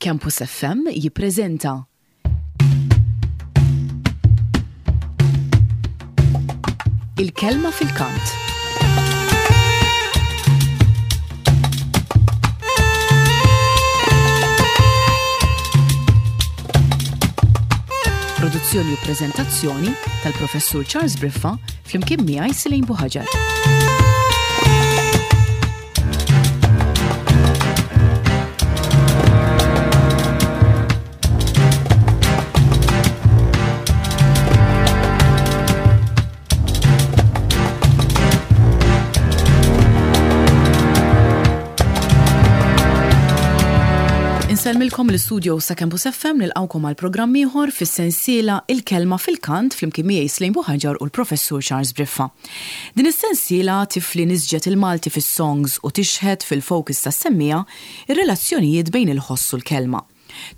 Campus FM jippreżenta Il-Kelma fil-Kant. Produzzjoni u preżentazzjoni tal-Professur Charles Briffa flimkien miegħi Silejn Buħaġar. Insellmilkom l-istudio sa Campus FM nilqawkom għal programm ieħor fis-sensiela Il-Kelma fil-Kant flimkien miegħi Slejn Buħaġar u l-Professur Charles Briffa. Din is-sensiela tifli nisġet il-Malti fis-songs u tixħet fil-focus tas-semmiegħa r-relazzjonijiet bejn il-ħoss u l-kelma.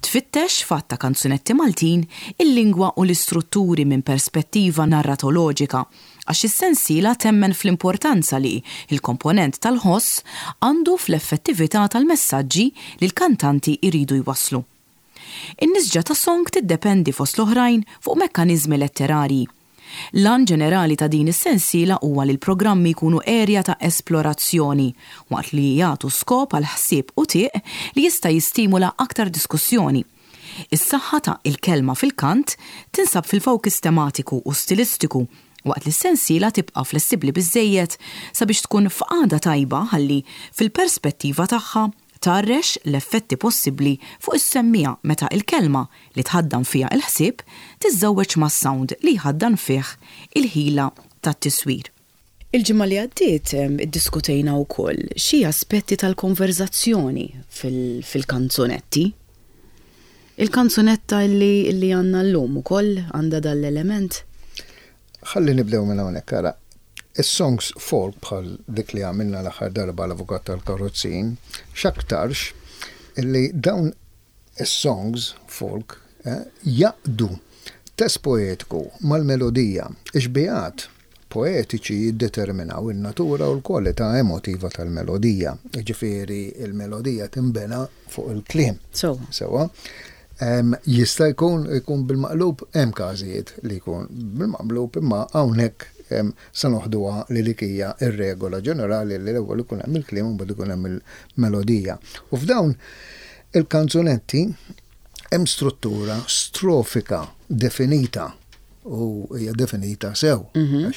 Tfittex f'għadd ta' kanzunetti Maltin il-lingwa u l-istrutturi minn perspettiva narratoloġika għax is-sensiela temmen fl-importanza li l-komponent tal-ħoss għandu fl-effettività tal-messaġġi li l-kantanti jridu jwasslu. In-nisġa ta' song tiddependi fost l-oħrajn fuq mekkaniżmi letterarji. L-għan ġenerali ta' din is-sensiela huwa li l-programmi jkunu erja ta' esplorazzjoni, waqt li jagħtu skop għal ħsieb u tieq li jista' jistimula aktar diskussjoni. Is-saħħa ta' Il-Kelma fil-Kant tinsab fil-fowkis tematiku u stilistiku waqt li s-sensiela tibqa' flessibbli biżżejjed sabiex tkun f'qagħda tajba ħalli, fil-perspettiva tagħha, tgħarrex l-effetti possibbli fuq is-semmiegħa meta l-kelma li tħaddan fiha l-ħsieb tiżżewweġ mas-sound li jħaddan fih il-ħila tat-tiswir. Il-ġimgħa li għaddiet iddiskutejna wkoll xi aspetti tal-konverżazzjoni fil-kanzunetti. Il-kanzunetta li għandna llum ukoll għandha dan l-element? Ħalli nibdew minn hawnhekk, ara. Is-songs folk bħal dik li għamilna l-aħħar darba l-Avukat tal-Karozzin, x'aktarx li dawn is-songs folk eh, jaqdu test poetiku mal-melodija, ix-xbihat poetiċi jiddeterminaw in-natura u l-kwalità emotiva tal-melodija. Jiġifieri il-melodija tinbena fuq il-kliem. Sewa. Jista' jkun ikun bil-maqlub, hemm każijiet li jkun bil-maqlub, imma hawnhekk se noħduha li dik hija r-regola ġenerali li l-ewwel ikun hemm il-kliem u mbagħad ikun hemm il-melodija. U f'dawn il-kanzunetti hemm struttura strofika definita u hija definita sew, mhm.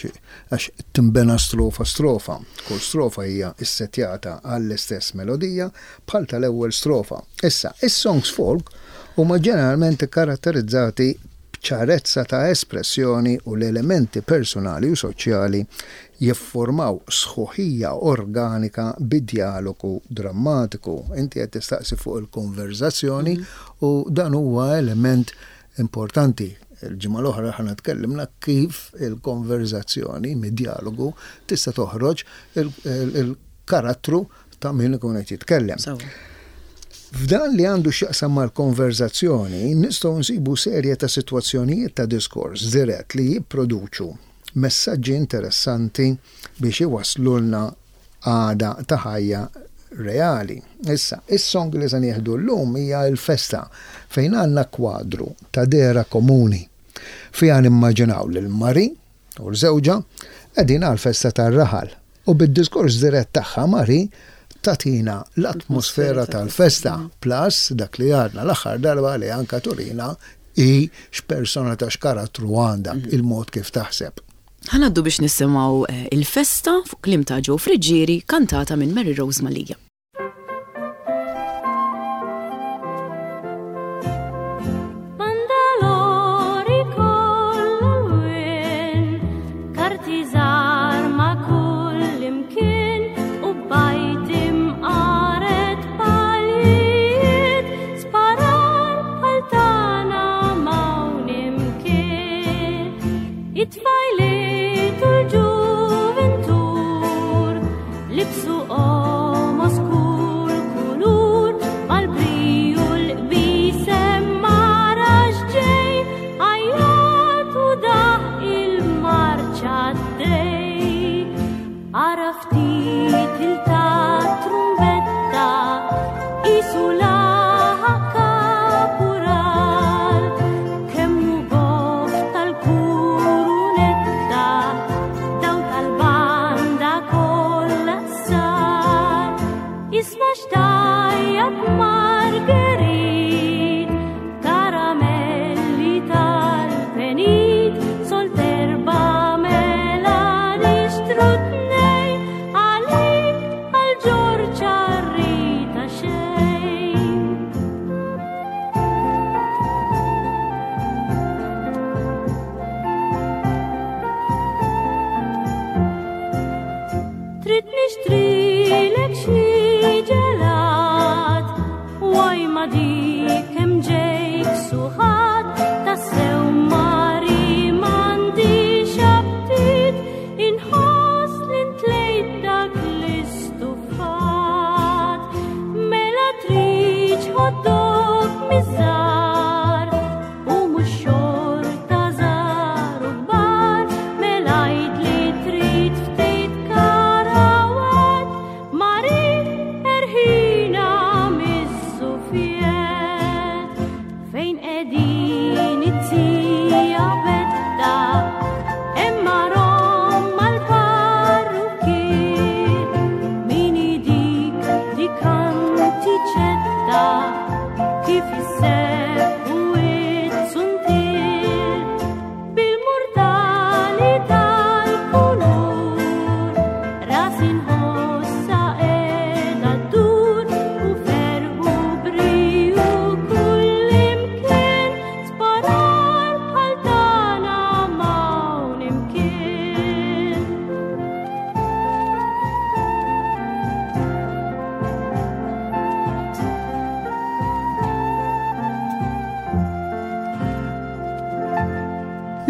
għax timbena strofa strofa. Kull strofa hija issetjata għall-istess melodija bħal tal-ewwel strofa. Issa, is-songs folk huma ġeneralment ikkaratterizzati b'ċarezza ta' espressjoni u l-elementi personali u soċjali jiffurmaw sħuħija organika bi djalogu drammatiku. Inti qed tistaqsi fuq il-konverzazzjoni mhm. u dan huwa element Importanti, il-ġimgħa l-oħra aħna tkellimna kif il-konverżazzjoni mid-djalogu tista' toħroġ il-karattru ta' min ikun qed jitkellem. F'dan li għandu x'jaqsam mal-konverżazzjoni, nistgħu nsibu serje ta' sitwazzjonijiet ta' diskors dirett li jipproduċu messaġġi interessanti biex iwasslulna għada ta' ħajja reali. Issa, is-song li se nieħdu llum hija l-festa fejn għandna kwadru ta' dehra komuni. Fiha nimmaġinaw lil Marie u l-żewġha qegħdin għall-festa tar-raħal u bid-diskors dirett tagħha Marie tagħtina l-atmosfera tal-festa plus dak li għadna l-aħħar darba li anka turina hi x'persona ta' x'karattru għandha, il-mod kif taħseb. Ħa ngħaddu biex nisimgħu Il-Festa fuq kliem ta' Joe Friggieri kantata minn Mary Rose Mallia. Bandalori kollha lwien, karti żgħar ma' kull imkien u bajt imqaret palijiet sparar bħal tagħna m'hawn imkien. It-tfajliet u l-ġuvintur libsu qomos.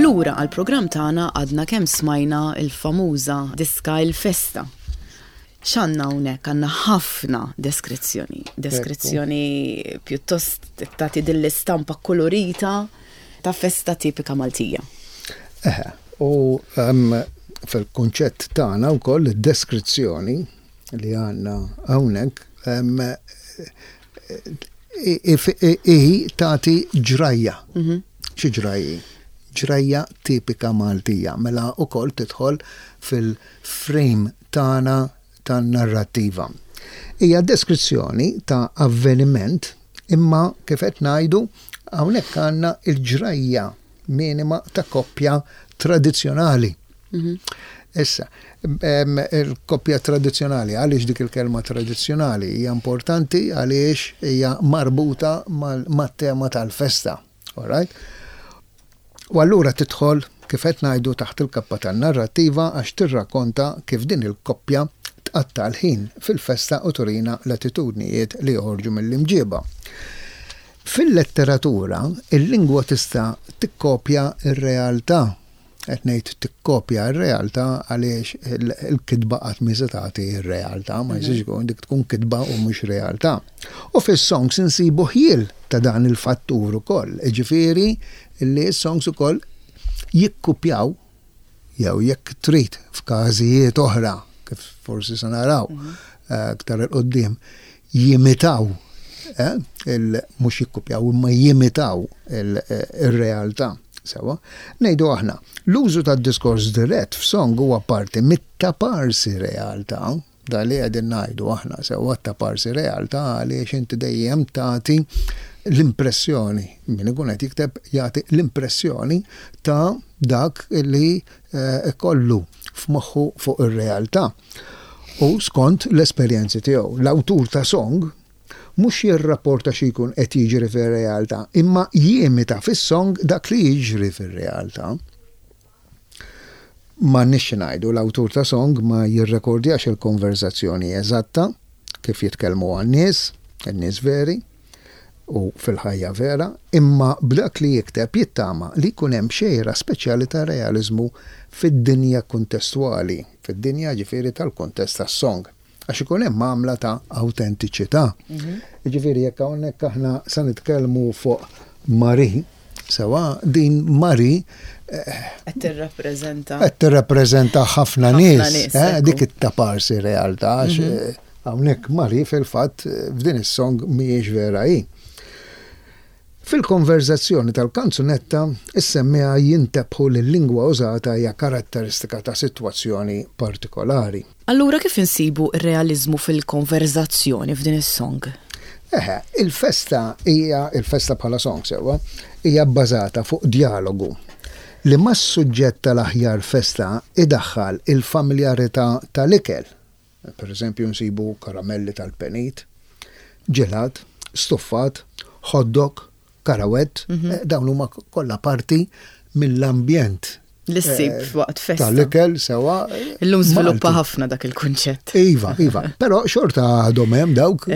Lura għall-programm tagħna għadna kemm smajna l-famuża diska Il-Festa. X'għandna hawnhekk? Għandna ħafna deskrizzjoni. Deskrizzjoni pjuttost tagħti din l-istampa kkulurita ta' festa tipika Maltija. Eħe, u fil-kunċett tagħna wkoll id-deskrizzjoni li għandna hawnhekk hi tagħti ġrajja. Mhm. Xi ġrajji? Ġrajja tipika Maltija, mela wkoll tidħol fil-frame tagħna tan-narrattiva. Hija deskrizzjoni ta' avveniment imma kif qed ngħidu hawnhekk għandna l-ġrajja minima ta' koppja tradizzjonali. Mhm. Issa, il-koppja tradizzjonali, għaliex dik il-kelma tradizzjonali hija importanti għaliex hija marbuta mat-tema tal-festa. All right? U allura tidħol, kif qed ngħidu, taħt il-kappa tan-narrattiva għax tirrakkonta kif din il-koppja tqatta' l-ħin fil-festa u turina l-attitudnijiet li joħorġu mill-imġieba. Fil-letteratura, il-lingwa tista' tikkopja r-realtà. Qed ngħid tikkopja r-realtà għaliex il-kitba qatt mhi se tagħti r-realtà, ma jistax ikun dik tkun kitba u mhux realtà. U fis-songs insibu ħjiel ta' dan il-fattur ukoll, jiġifieri li s-songs ukoll jikkupjaw jew jekk trid f'każijiet oħra, kif forsi se naraw aktar 'il quddiem, jimitaw, mhux jikkupjaw imma jimitaw ir-realtà. Sewwa, ngħidu aħna, l-użu tad-diskors dirett f'song huwa parti mit-taparsi realtà, dan li qegħdin ngħidu aħna, sewwa t-taparsi realtà għaliex inti dejjem tagħti l-impressjoni, min ikun qed jikteb jagħti l-impressjoni ta' dak li ikollu f'moħħu fuq ir-realtà u skont l-esperjenzi tiegħu. L-awtur ta' song mhux jirrapporta xi jkun qed jiġri fir-realtà, imma jimita fis-song dak li jiġri fir-realtà. M'għandniex xi ngħidu, l-awtur ta' song ma jirrekordjax il-konverżazzjoni eżatta kif jitkellmuha n-nies, in-nies veri, u fil-ħajja vera, imma b'dak li jikteb jittama li jkun hemm xejra speċjali ta' realiżmu fid-dinja kuntestwali, fid-dinja jiġifieri tal-kuntest tas-song, għax ikun hemm għamla ta' awtentiċità. Jiġifieri jekk hawnhekk aħna se nitkellmu fuq Marie, sewwa din Marie Qed tirrappreżenta. Qed tirrappreżenta ħafna nies, dik it-taparsi realtà għax Hawnhekk Marie fil-fatt f'din is-song mhijiex vera hi. Fil-konverżazzjoni tal-kanzunetta, is-semmiegħa jintebħu li l-lingwa użata hija karatteristika ta' sitwazzjoni partikolari. Allura kif insibu r-realiżmu fil-konverżazzjoni f'din is-song? Eħe, il-festa hija, il-festa bħala song sewwa, hija bbażata fuq djalogu li mas-suġġett tal-aħjar festa idaħħal il-familjarità tal-ikel. Per eżempju nsibu karamelli tal-penit, ġelat, stuffat, hot dog, karawett, dawn huma kollha parti mill-ambjent. Li ssib waqt festa. Tal-ikel sewa. Illum żviluppa ħafna dak il-kunċett. Iva, iva. Però xorta għadhom hemm dawk.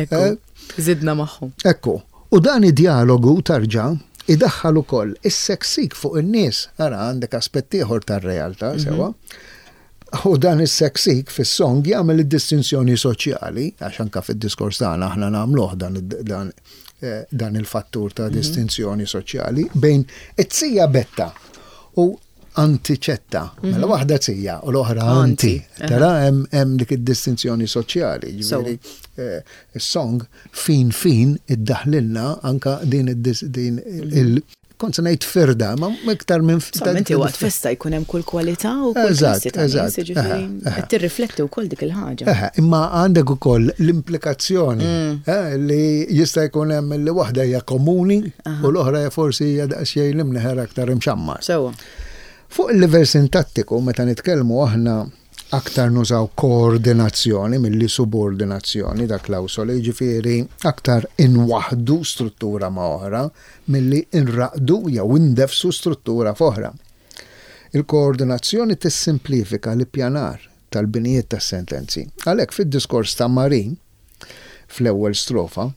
Żidna magħhom. Ekku. U dan id-djalogu tarġa' idaħħal ukoll is-seksik fuq in-nies. Ara għandek aspett ieħor tar-realtà sewa. U dan is-seksik fis-song jagħmel id-distinzjoni soċjali, għax anka fid-diskors tagħna aħna nagħmluh dan, dan, eh, dan il-fattur ta' mhm. distinzjoni soċjali bejn it-tija betta u antiċetta. Mhm. Mela waħda tija u l-oħra anti. Tara hemm dik id-distinzjoni soċjali, ġifieri eh, is-song fin fin iddaħlilna anka din din il Kont se ngħid firda, ma iktar minn firda. Inti waqt festa jkun hemm kull kwalità u kull klassi ta' nies, jiġifieri qed tirrifletti wkoll dik il-ħaġa. Imma għandek ukoll l-implikazzjoni mm. eh, li jista' jkun hemm li waħda hija komuni u l-oħra hija forsi hija daqsxejn l-imneħer aktar imxammar. Sewwa. Fuq il-livell sintattiku meta nitkellmu aħna Aktar nużaw koordinazzjoni milli subordinazzjoni ta' klawsoli, jiġifieri aktar inwaħħdu struttura ma' oħra milli nraqqdu jew indeffsu struttura f'oħra. Il-koordinazzjoni tissimplifika l-ippjanar tal-binijiet tas-sentenzi. Għalhekk fid-diskors ta' Marie, fl-ewwel strofa,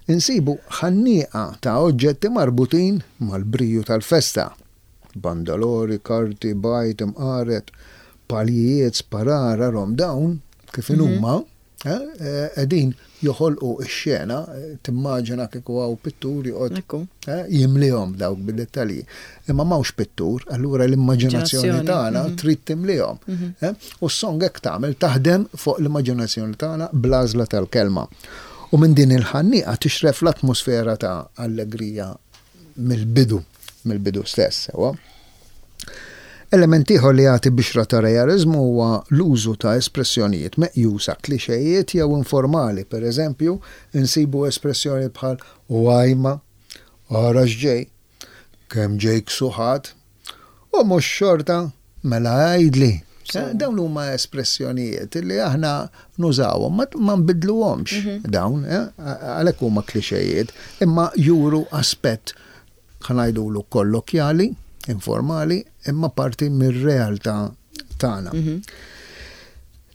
insibu ħannieqa ta' oġġetti marbutin mal-briju tal-festa. Bandalori, karti, bajd, imqaret, paljijiet, sparar, arhom dawn kif inhuma qegħdin joħolqu x-xena, timmaġina kieku hawn pittur joqgħod jimlihom dawk bid-dettalji. Imma m'hawnx pittur, allura l-immaġinazzjoni tagħna trid timlihom. U s-song hekk tagħmel, taħdem fuq l-immaġinazzjoni tagħna bl-għażla tal-kelma. U minn din il-ħannieqa tixref l-atmosfera ta' allegrija mill-bidu, mill-bidu stess, sewwa. Element ieħor li jagħti bixra ta' realiżmu huwa l-użu ta' espressjonijiet meqjusa klixejiet jew informali, pereżempju, insibu espressjonijiet bħal u ajma, ara x'ġej, kemm ġej ksuħat, u mhux xorta, mela għidli. Dawn huma espressjonijiet li aħna nużawhom, ma nbidluhomx dawn, għalhekk huma klixejiet, imma juru aspett ħa ngħidulu kollokjali, informali, imma parti mir-realtà tagħna.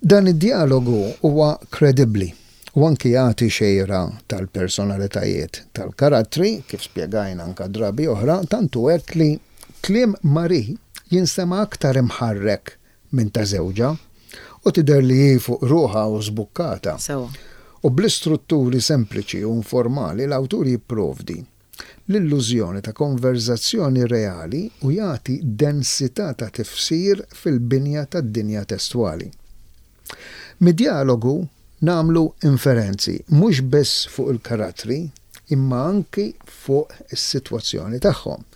Dan id-djalogu huwa kredibbli u anki jagħti xejra tal-personalitajiet tal-karattri, kif spjegajna anka drabi oħra, tant hu hekk li kliem Marie jinstema' aktar imħarrek minn ta' żewġha u tidher li hi fuq ruħha u żbukkata. U bl-istrutturi sempliċi u informali l-awtur jipprovdi l-illużjoni ta' konverżazzjoni reali u jagħti densità ta' tifsir fil-binja tad-dinja testwali. Mid-djalogu nagħmlu inferenzi mhux biss fuq il-karattri imma anki fuq is-sitwazzjoni tagħhom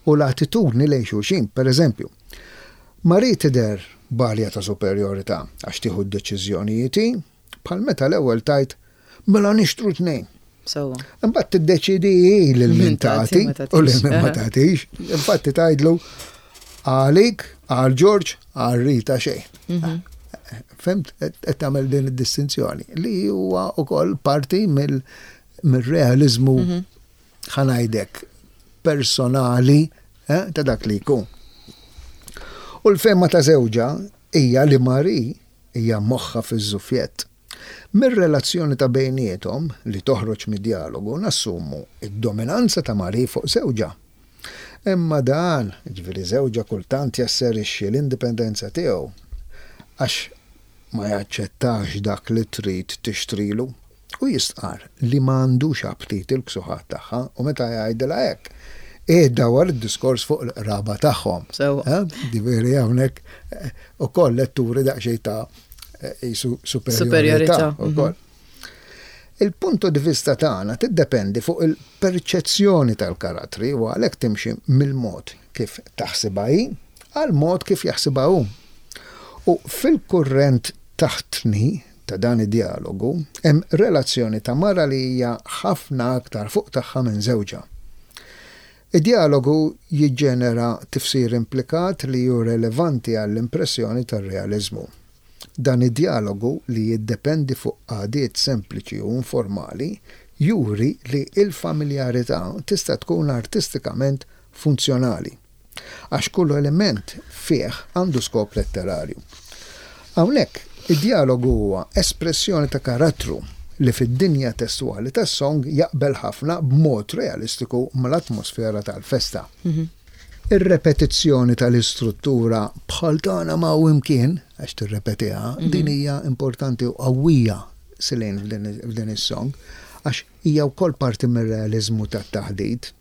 u l-attitudni lejn xulxin. Pereżempju, Marie tidher b'arja ta' superjorità għax tieħu d-deċiżjonijiet hi, Bħal meta l-ewwel tgħid, mela nixtru tnejn. Sewwa. Imbagħad tiddeċiedi hi lil min tagħti u lil min ma tagħtix. Infatti tgħidlu għalik, għal Ġorġ, għal Rita xejn. Mhm. Fimt, qed tagħmel din id-distinzjoni li huwa wkoll parti mill-realiżmu mhm. ħanajdek personali eh, ta' dak li jkun. U l-fema ta' żewġa hija li Mari Hija moħħha fiż-żufjett. Mir-relazzjoni ta' bejniethom, li toħroġ mid-djalogu, nassumu d-dominanza ta' Marie fuq żewġha. Imma dan, jiġifieri żewġha kultant jasserixxi l-indipendenza tiegħu għax ma jaċċettax dak li trid tixtrilu. Hu jistqarr li ma għandux aptit il-ksuħat tagħha u meta jgħidilha hekk, iddawwar id-diskors fuq il-qraba tagħhom. Sewwa. Ġifieri hawnhekk ukoll qed turi daqsxejn ta' qisu superjorità ukoll. Il-punto di vista tagħna tiddependi fuq il-perċezzjoni tal-karattri u għalhekk timxi mill-mod kif taħsibha hi għall-mod kif jaħsibha hu. U fil-kurrent taħtni ta' dan id-djalogu hemm relazzjoni ta' mara li hija ħafna aktar fuq tagħha minn żewġha. Id-djalogu jiġġenera tifsir implikat li hu relevanti għall-impressjoni tar-realiżmu. Dan id-djalogu li jiddependi fuq qagħdiet sempliċi u informali juri li l-familjarità tista' tkun artistikament funzjonali. Għax kull element fih għandu skop letterarju. Hawnhekk, id-djalogu huwa espressjoni ta' karattru li fid-dinja testwali tas-song jaqbel ħafna b'mod realistiku mal-atmosfera tal-festa. Ir-repetizzjoni tal-istruttura bħal tagħna ma hawn imkien, għax tirrepetiha, din hija importanti u qawwija Celine f'din is-song, għax hija wkoll parti mir-realiżmu tat-taħdit.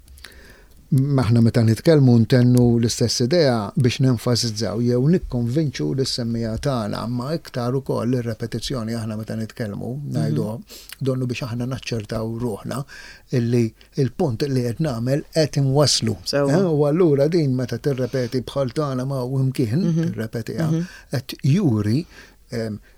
Aħna meta nitkellmu ntennu l-istess idea biex nenfasizzaw jew nikkonvinċu lis-semmiegħa tagħna, imma iktar ukoll ir-repetizzjoni aħna meta nitkellmu ngħiduha donnu biex aħna naċċertaw ruħna illi l-punt li qed nagħmel qed inwasslu. U allura din meta tirrepeti bħal tagħna ma' imkien tirrepetiha qed juri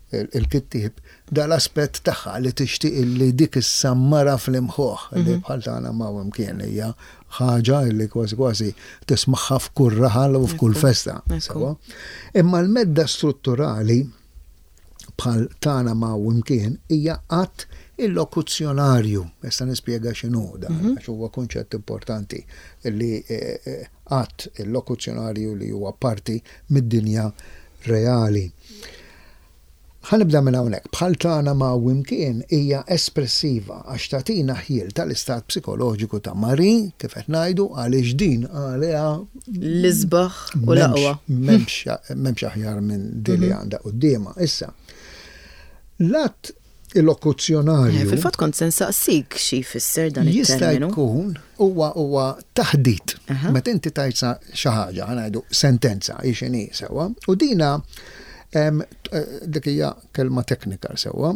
il-kittieb dal-aspett tagħha li tixtieq li dik issammara fl-imħuħ li mhm. bħal tagħna ma' imkien hija ħaġa li kważi kważi tismagħha f'kull raħal u f'kull festa. Imma l-medda strutturali bħal tagħna ma' imkien hija qatt il-lokuzzjonarju. Issa nispjega x'inhu dan, mhm. għax huwa kunċett importanti li eh, eh, att illokuzzjonarju li huwa parti mid-dinja reali. Ħa nibda minn hawnhekk, bħal tagħna ma' Wimkien hija espressiva għax tagħtina ħjiel tal-istat psikoloġiku ta' Marie, kif qed ngħidu, għaliex din għaliha L-isbaħ u l-aqwa. M'hemmx aħjar minn din li għandha quddiemha. Issa, l-att illokuzzjonarju. Fil-fatt kont se nsaqsik xi jfisser dan it-terminu. Jista' jkun huwa huwa taħdit. Meta inti tgħid xi ħaġa, ħa ngħidu sentenza hi x'inhi sewwa, u dina dik hija kelma teknika sewwa,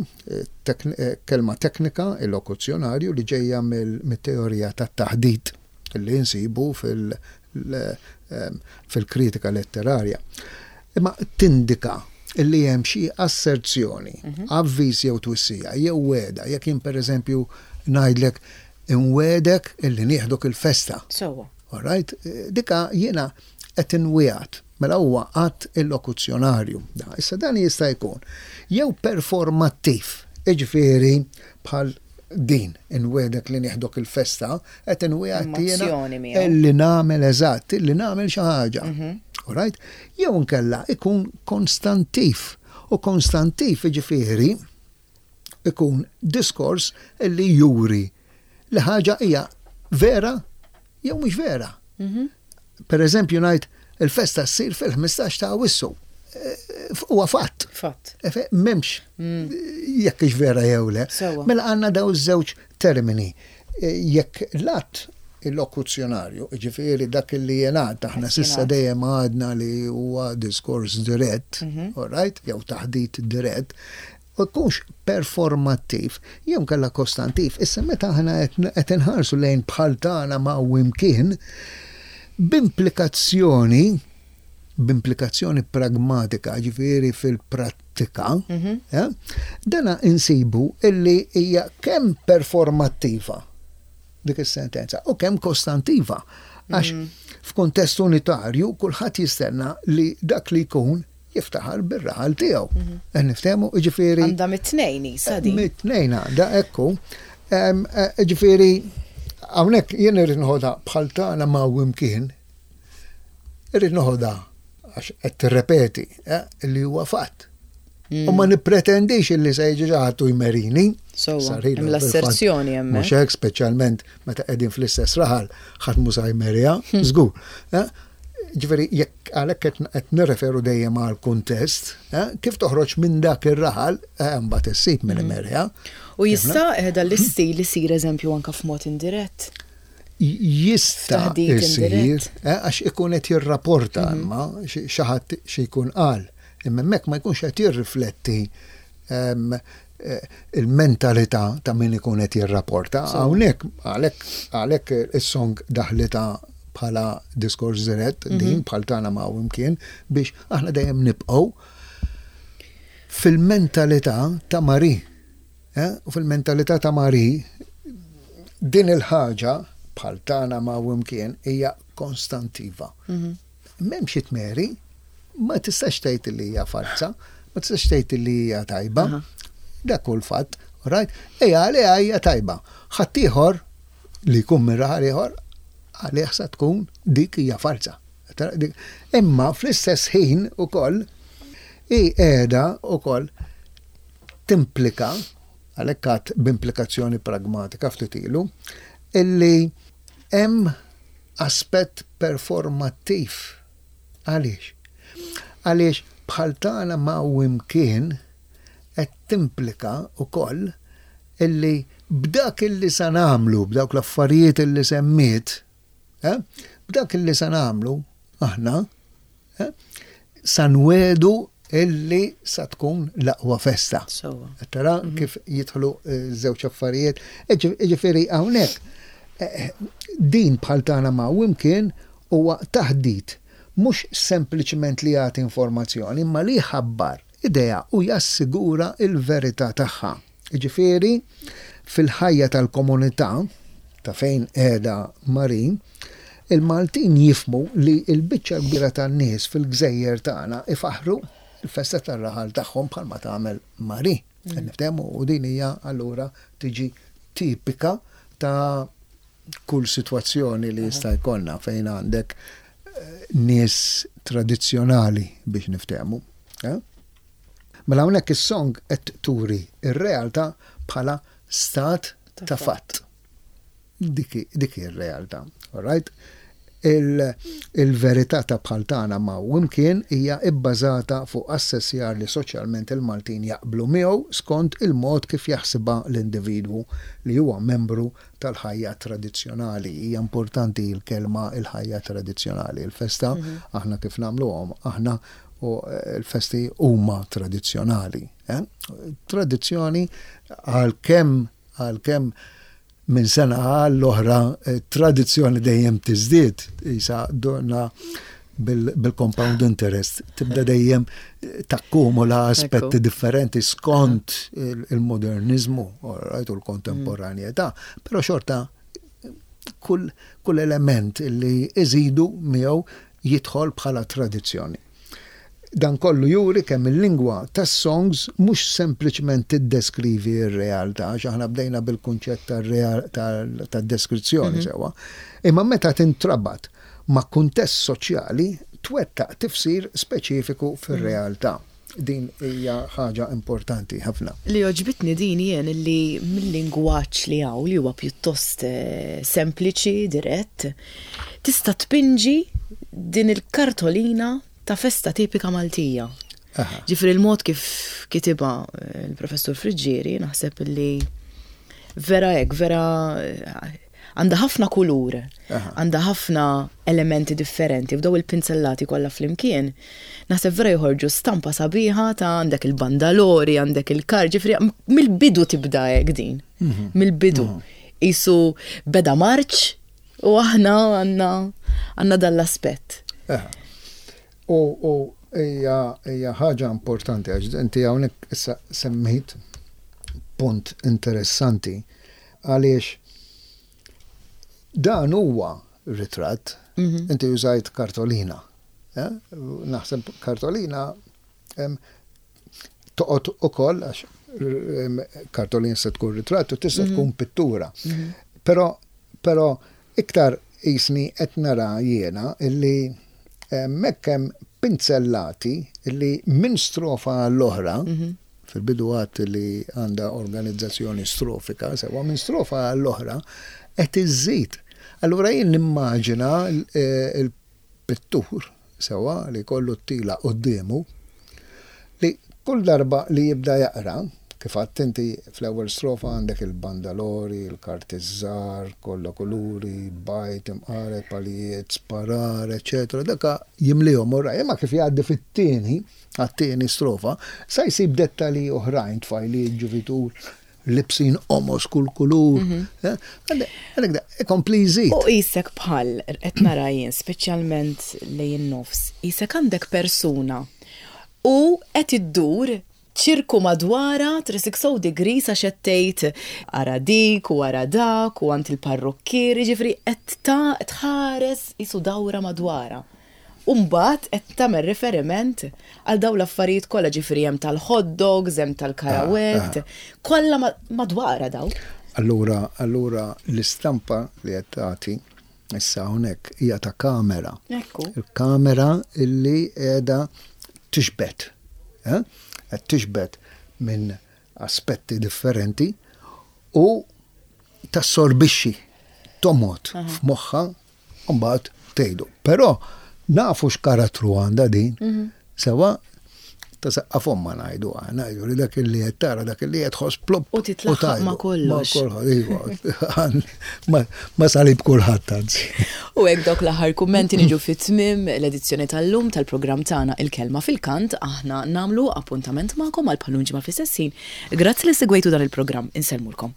kelma teknika illokuzzjonarju li ġejja mit-teorija tat-taħdit li nsibu fil fil-kritika letterarja. Imma tindika li hemm xi asserzjoni, avviż jew twissija, jew wegħda, jekk jien pereżempju ngħidlek inwegħdek illi nieħdok il-festa. Sewwa. All right? Dika jiena qed inwiegħed. Mela huwa att illokuzzjonarju. Issa dan jista' jkun jew performattiv, jiġifieri bħal din, inwiegħdek li nieħdok il-festa, qed inwiegħed jiena illi nagħmel eżatt, illi nagħmel xi ħaġa. All right? Jew inkella ikun konstantiv. U konstantiv jiġifieri ikun diskors illi juri li ħaġa hija vera jew mhux vera. Per eżempju ngħid il-festa ssir fil-15 ta' Awwissu. Huwa fatt. Fatt. M'hemmx jekk hix vera jew le. Mela għandna daw iż-żewġ termini. Jekk l-att illokuzzjonarju, jiġifieri dak li jingħad, aħna s'issa dejjem għadna li huwa diskors dirett, all right, jew taħdit dirett, u jkunx performattiv jew inkella kostantiv. Issa meta aħna qed inħarsu lejn bħal tagħna ma' u imkien, b'implikazzjoni b'implikazzjoni pragmatika, ġifieri fil-prattika, dana insibu illi hija kemm performattiva dik is-sentenza u kemm kostantiva. Għax f'kuntest unitarju kulħadd jistenna li dak li jkun jiftaħar bir-raħal tiegħu. Qed niftehmu, jiġifieri. Għandha mit-tnejn isa din. Mit-tnejn għandha, ekku. Jiġifieri hawnhekk jien irrid noħodha bħal tagħna ma' imkien. Irrid noħodha għax qed tirrepeti li huwa fatt. U ma nippretendix illi se jiġi xi ħadd u jmerini. Sewwa, hemm l-asserzjoni hemmhekk. Mhux hekk, speċjalment meta qegħdin fl-istess raħal, ħadd mhu sa jmerija, żgur. Ġifieri jekk għalhekk qed nirreferu dejjem għal kuntest, kif toħroġ minn dak ir-raħal, mbagħad issib min imerja. U jista' dan l-istil isir eżempju anke f'mod indirett? Jista' jsir, għax ikun qed jirrapporta imma xi ħadd xi jkun qal. Imma hemmhekk ma jkunx qed jirrifletti il-mentalità ta' min ikun qed jirrapporta. Hawnhekk għalhekk għalhekk is-song daħlitha bħala diskors dirett din bħal tagħna ma' imkien biex aħna dejjem nibqgħu fil-mentalità ta' Marie. U fil-mentalità ta' Marie din il-ħaġa bħal tagħna ma' imkien hija konstantiva. M'hemmx it-tmeri, ma tistax tgħid li hija falza, ma tistax tgħid li hija tajba. Dak hu l-fatt, right? Ejja għaliha hija tajba. Ħaddieħor li jkun minn raħal ieħor għalih sa tkun dik hija falza. Imma fl-istess ħin ukoll hi qiegħda ukoll timplika, għalhekk għad b'implikazzjoni pragmatika ftit ilu, illi hemm aspett performattiv. Għaliex? Għaliex bħal tagħna ma' u imkien qed timplika wkoll illi b'dak illi sa nagħmlu, b'dawk l-affarijiet illi semmiet, eh, b'dak illi sa nagħmlu aħna, eh, sa nwedu illi sa tkun l-aqwa festa. Tara mhm. kif jidħlu eh, żewġ affarijiet. Ġifieri hawnhekk eh, din bħal tagħna ma' imkien huwa taħdit mhux sempliċement li jagħti informazzjoni, imma li jħabbar idea u jassigura il-verità tagħha. Jiġifieri, fil-ħajja tal-komunità ta' fejn qiegħda Marie, il-Maltin jifhmu li l-biċċa l-kbira tan-nies fil-gżejjer tagħna ifaħħru l-festa tar-raħal tagħhom bħalma tagħmel Marie. Qed niftehmu? U din hija allura tiġi tipika ta' kull sitwazzjoni li jista' jkollna fejn għandek nies tradizzjonali biex niftehmu. Mela hawnhekk is-song qed turi r-realtà bħala stat ta' fatt. Dik hi r-realtà. All right? Il-verità ta' bħal tagħna ma' u imkien hija bbażata fuq assessjar li soċjalment il-Maltin jaqblu miegħu skont il-mod kif jaħsibha l-individwu li huwa membru tal-ħajja tradizzjonali. Hija importanti l-kelma il-ħajja tradizzjonali. Il-festa aħna kif nagħmluhom aħna u l-festi huma tradizzjonali. Tradizzjoni għalkemm għalkemm minn sena għall-oħra tradizzjoni dejjem tiżdied, isa donna bil-compound interest, tibda dejjem takkumula aspetti differenti skont il-modernizmu, right, u l-kontemporanjetà, però xorta kull, kull element li iżidu miegħu jidħol bħala tradizzjoni. Dan kollu juri kemm il-lingwa tas-songs mhux sempliċement tiddeskrivi r-realtà, għax aħna bdejna bil-kunċett tad-deskrizzjoni sewwa, imma meta tintrabat ma' kuntest soċjali twettaq tifsir speċifiku fir-realtà. Din hija ħaġa importanti ħafna. Li għoġbitni din jien li mill-lingwaġġ li hawn li huwa pjuttost sempliċi, dirett, tista' tpinġi din il-kartolina ta' festa tipika Maltija. Ġifieri l-mod kif kitibha l-Professur Friggieri naħseb li vera hekk, vera għandha ħafna kulur, għandha ħafna elementi differenti, f'daw il-pinzellati kollha flimkien, naħseb vera joħorġu stampa sabiħa ta' għandek il-bandalori, għandek il-kar, ġifieri mill-bidu tibda hekk din, mill-bidu. Isu beda marċ u aħna għandna għandna dan l-aspett. U hija ħaġa importanti għax inti hawnhekk issa semmejt punt interessanti għaliex dan huwa ritratt, inti użajt kartolina. Eh? Naħseb kartolina toqgħod ukoll għax kartolina se tkun ritratt u tista' tkun pittura. Però però iktar qisni qed nara jiena illi hemmhekk hemm pinzellati illi minn strofa għall-oħra, fil-bidu għedt li għandha organizzazzjoni strofika, sewwa minn strofa għall-oħra qed iżżid. Allura jien nimmaġina l-pittur sewwa li jkollu t-tila quddiemu, li kull darba li jibda jaqra, kif għedt inti fl-ewwel strofa għandek il-bandalori, il-karti ż-żgħar, kollha kuluri, bajd, imqaret, palijiet, sparar, eċċetera, dak jimlihom u imma kif jgħaddi fit-tieni, għat-tieni strofa, sa jsib dettalji oħrajn, tfajliet, ġuvitur, libsin qomos kull kulur. Għalhekk da, ikompli jżid. U qisek bħal qed nara jien, speċjalment lejn in-nofs, qisek għandek persuna u qed iddur ċirku madwarha 360 degrees għax qed tgħid ara dik u ara dak u għand il-parrukkier, jiġifieri qed tħares qisu dawra madwarha. U mbagħad qed tagħmel riferiment għal dawn l-affarijiet kollha, ġifieri hemm tal-hot dogs, hemm tal-karawett, kollha madwarha dawn. Allura, allura l-istampa li qed tagħti issa hawnhekk hija ta' kamera. Ekku. Il-kamera illi qiegħda tixbet. Eh? Qed tixbet minn aspetti differenti u tassorbixxi, tomgħod f'moħħha U mbagħad tgħidu. Però nafu x'karattru għandha din. Mhm. Sewa ta' saqqa fomma ngħidu aħna, ngħidu li dak li qed tara dak li qed tħoss plop. U titlaħħaq ma' kollox. Ma' kollox, iva. Ma salib kulħadd anzi. U hekk dawk l-aħħar kummenti niġu fit-tmiem l-edizzjoni tal-lum tal-programm tagħna Il-Kelma fil-Kant aħna nagħmlu appuntament magħkom għal bħal ġimgħa fl-istess ħin. Grazzi li segwejtu dan il-programm. Insellmulkom.